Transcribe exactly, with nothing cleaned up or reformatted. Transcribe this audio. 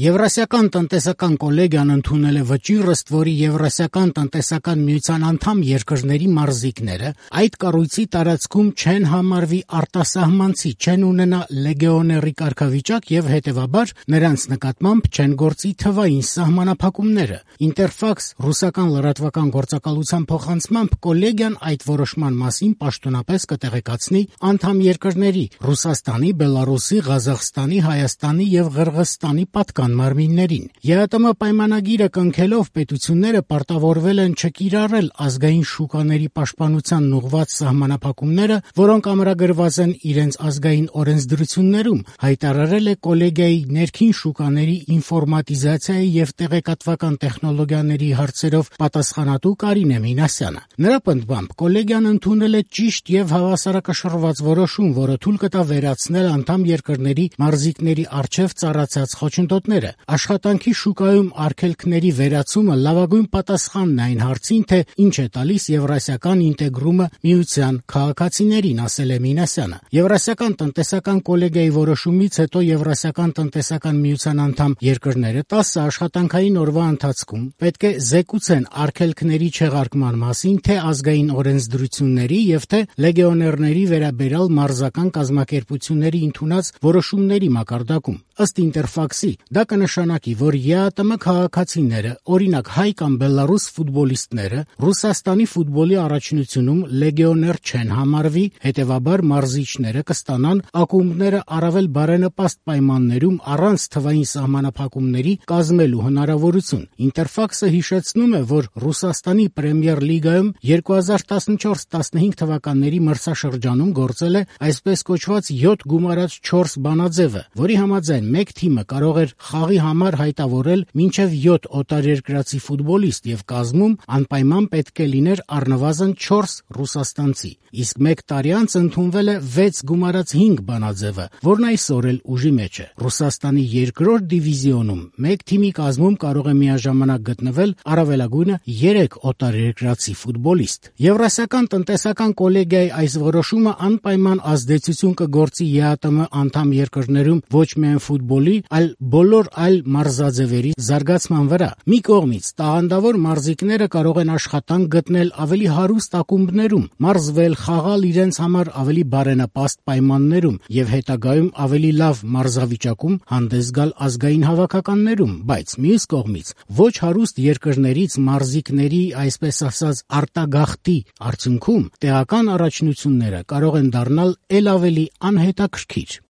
Եվրասիական տնտեսական կոլեգիան ընդունել է վճիռ, ըստ որի Եվրասիական տնտեսական միության անդամ երկրների մարզիկները այդ կառույցի տարածքում չեն համարվի արտասահմանցի, չեն ունենա լեգիոների կարգավիճակ եւ հետեւաբար նրանց նկատմամբ չեն գործի թվային սահմանափակումները։ Ինտերֆաքս ռուսական լրատվական գործակալության փոխանցմամբ կոլեգիան այդ որոշման մասին պաշտոնապես կտեղեկացնի անդամ երկրների Ռուսաստանի, Բելարուսի, Ղազախստանի, Հայաստանի եւ Ղրղըզստանի պատկան մարմիններին։ ԵԱՏՄ պայմանագիրը կնքելով պետությունները պարտավորվել են չկիրառել ազգային շուկաների պաշտպանությանն ուղղված սահմանափակումները, որոնք ամրագրված են իրենց ազգային օրենսդրություններում, հայտարարել է կոլեգիայի ներքին շուկաների ինֆորմատիզացիայի եւ տեղեկատվական տեխնոլոգիաների հարցերով պատասխանատու Կարինե Մինասյանը։ Նրա պնդմամբ կոլեգիան ընդունել է ճիշտ եւ հավասարակշռված որոշում, որը թույլ կտա վերացնել անդամ երկրների մարզիկների առջեւ ծառացած խոչընդոտները։ Աշխատանքի շուկայում արգելքների վերացումը լավագույն պատասխանն է այն հարցին, թե ինչ է տալիս եվրասիական ինտեգրումը միության քաղաքացիներին, ասել է Մինասյանը։ Եվրասիական տնտեսական կոլեգիայի որոշումից հետո Եվրասիական տնտեսական միության անդամ երկրները տասը աշխատանքային օրվա ընթացքում պետք է զեկուցեն արգելքների չեղարկման մասին թե ազգային օրենսդրությունների եւ թե լեգիոներների վերաբերյալ մարզական կազմակերպությունների ընդունած որոշումների մակարդակում։ Ըստ Ինտերֆաքսի, դա կնշանակի, որ ԵԱՏՄ քաղաքացիները, օրինակ հայ կամ բելարուս ֆուտբոլիստները, Ռուսաստանի ֆուտբոլի առաջնությունում լեգիոներ չեն համարվի, հետևաբար մարզիչները կստանան ակումբները առավել բարենպաստ պայմաններում առանց թվային սահմանափակումների կազմելու հնարավորություն։ Ինտերֆաքսը հիշեցնում է, որ Ռուսաստանի Պրեմիեր լիգայում երկու հազար տասնչորս տասնհինգ թվականների մրցաշրջանում գործել է այսպես կոչված յոթ գումարած չորս բանաձևը, որի համաձայն մեկ թիմը կարող էր խաղի համար հայտավորել մինչև յոթ օտարերկրացի ֆուտբոլիստ եւ կազմում անպայման պետք է լիներ առնվազն չորս ռուսաստանցի։ Իսկ մեկ տարի անց ընդունվել է վեց գումարած հինգ բանաձևը, որն այսօր էլ ուժի մեջ է։ Ռուսաստանի երկրորդ դիվիզիոնում մեկ թիմի կազմում կարող է միաժամանակ գտնվել առավելագույնը երեք օտարերկրացի ֆուտբոլիստ։ Եվրասիական տնտեսական կոլեգիայի այս որոշումը անպայման ազդեցություն կգործի ԵԱՏՄ անդամ երկրներում ոչ միայն ֆուտբոլի, այլ բոլոր այլ մարզաձևերի զարգացման վրա։ Մի կողմից տաղանդավոր մարզիկները կարող են աշխատանք գտնել ավելի հարուստ ակումբներում, մարզվել, խաղալ իրենց համար ավելի բարենպաստ պայմաններում եւ հետագայում ավելի լավ մարզավիճակում հանդես գալ ազգային հավաքականներում, բայց մյուս կողմից ոչ հարուստ երկրներից մարզիկների, այսպես ասած, արտագաղթի արդյունքում տեղական առաջնությունները կարող են դառնալ ել ավելի անհետաքրքիր։